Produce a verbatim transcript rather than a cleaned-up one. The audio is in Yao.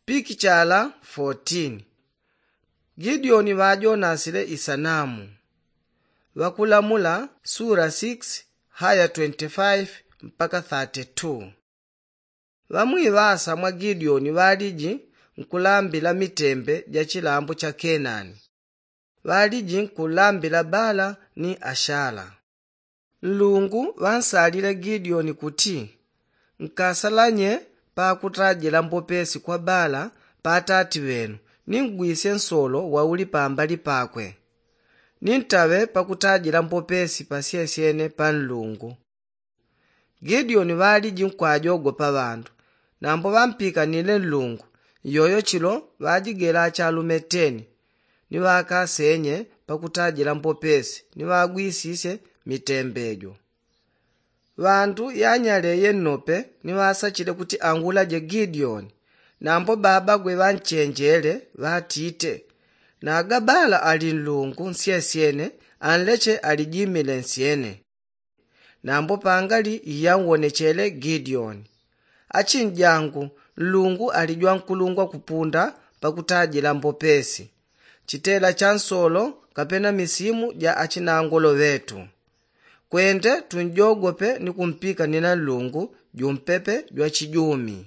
Pikichala fotin. Gideoni ŵajonasile isanamu. Ŵakulamula sura six haya twenty-five mpaka thirty-two. Ŵamwiŵasa mwa gideoni ŵaliji nkulambila mitembe ja chilambo cha kenani. Ŵaliji nkulambila bala ni ashala. Nlungu ŵansalile gideoni kuti, nkasalanye pakutajila mbopesi kwa bala pa atati ŵenu, ni ngwisye nsolo wauli pambali pakwe, ni ntaŵe pakutajila mbopesi pasyesyene pa nlungu. Gideoni ŵaliji nkwajogopa ŵandu. Nambo ŵampikanile nlungu, iyoyo chilo ŵajigela achalume teni, ni ŵakasenye pakutajila mbopesi ni ŵagwisisye mitembejo. Ŵandu yanyaleye nnope ni ŵasachile kuti angulaje gideoni. Nambo babagwe ŵanchenjele ŵatite, naga bala ali nlungu nsyesyene, anleche alijimile nsyene. Nambo pangali iyanwonechele gideoni, achinjangu, nlungu ali jwankulungwa kupunda pakutajila mbopesi, chitela cha nsolo kapena misimu ja achinangolo ŵetu. Kwende tunjogope ni kumpika nina nlungu jumpepe jwachijumi.